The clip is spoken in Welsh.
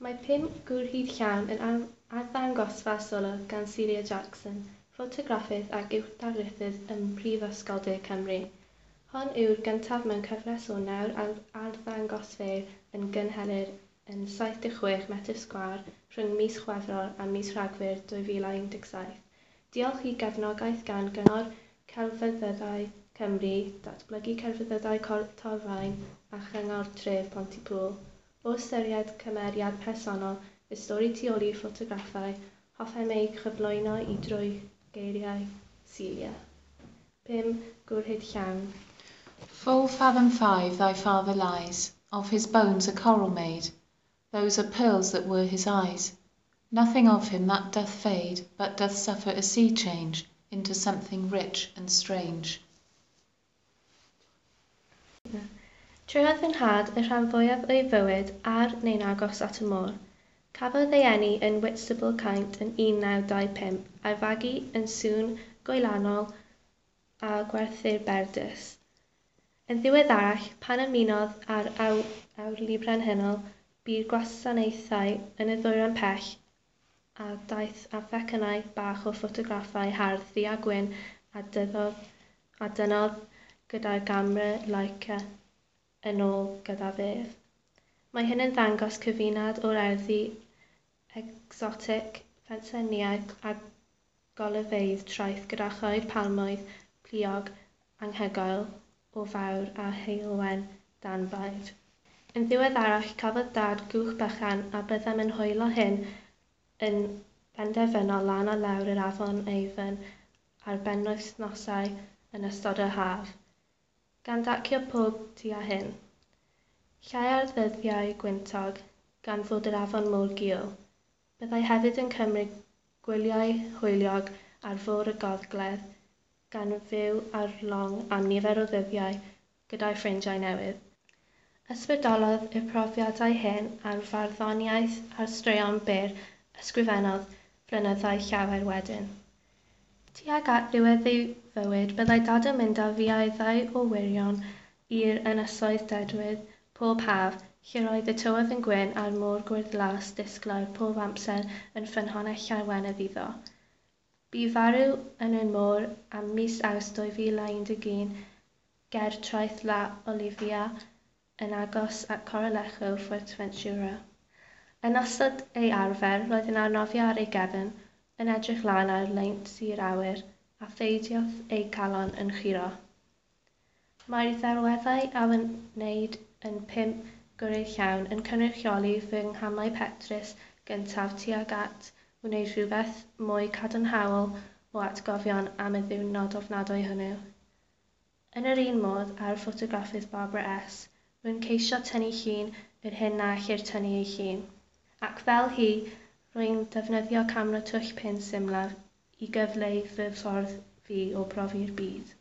Mae Pum Gwrhyd Llawn yn arddangosfa solo gan Celia Jackson, ffotograffydd ac uwch-ddarlithydd ym Mhrifysgol De Cymru. Hon yw'r gyntaf mewn cyfres o nawr arddangosfeydd a gynhelir yn 76 metr sgwâr rhwng mis Chwefror a mis Rhagfyr 2017. Diolch i gefnogaeth gan Gyngor Celfyddydau Cymru, Datblygu Celfyddydau Torfaen a Chyngor Tref Pontypŵl. O ystyried cymeriad personol y stori tu ôl i'r ffotograffau, hoffem eu chyflwyno i drwy geiriau Celia. 5 Gwrhyd Llawn. Full fathom five thy father lies, Of his bones a coral made, Those are pearls that were his eyes. Nothing of him that doth fade But doth suffer a sea change Into something rich and strange. Treuliodd fy nhad y rhan fwyaf o'i fywyd ar neu'n agos at y môr. Cafodd ei eni yn Whitstable, Caint yn 1925 a'i fagu yn Sŵn Gwylanol a Gwerthyr Berdys. Yn ddiweddarach, pan ymunodd â'r Awyrlu Brenhinol, bu'r gwasanaethau yn y Ddwyrain Pell a daeth â phecynnau bach o ffotograffau hardd ddu a gwyn a dynnodd gyda'i gamera Leica yn ôl gydag ef. Mae hyn yn dangos cyfuniad o'r erddi egsotig, pensaernïaeth a golygfeydd traeth gyda choed palmwydd pluog anhygoel o fawr a heulwen danbaid. Yn ddiweddarach cafodd Dad gwch bychan a byddem yn hwylio hyn yn benderfynol lan a lawr yr afon Avon ar benwythnosau yn ystod yr haf, gan dacio pob tu a hyn. Llai ar ddyddiau gwyntog, gan fod yr afon mor gul. Byddai hefyd yn cymryd gwyliau hwyliog ar fôr y Gogledd, gan fyw ar long am nifer o ddyddiau gyda'i ffrindiau newydd. Ysbrydolodd y profiadau hyn ar farddoniaeth a'r straeon byr ysgrifennodd flynyddoedd llawer wedyn. Tuag at ddiwedd ei fywyd, byddai Dad yn mynd â fi a'i ddau o wyrion i'r Ynysoedd Dedwydd pob haf, lle roedd y tywydd yn gwyn a'r môr gwyrddlas disglair pob amser yn ffynhonnell llawenydd iddo. Bu farw yn y môr ym mis Awst 2011 ger traeth La Olivia yn agos at Corralejo, Fuerteventura. Yn ystod ei arfer, roedd yn arnofio ar ei gefn, yn edrych lan ar leint i'r awyr, a pheidiodd ei calon yn curo. Mae'r ddelweddau a wneud yn Pum Gwrhyd Llawn yn cynrychioli fy nghamau petrus gyntaf tuag at wneud rhywbeth mwy cadarnhaol o atgofion am y ddiwrnod ofnadwy hwnnw. Yn yr un modd â'r ffotograffydd Barbara S., rwy'n ceisio tynnu llun yr hyn na ellir tynnu ei llun. Ac fel hi, rwy'n defnyddio camera twll pin symlaf i gyfleu fy ffordd fi o brofi'r byd.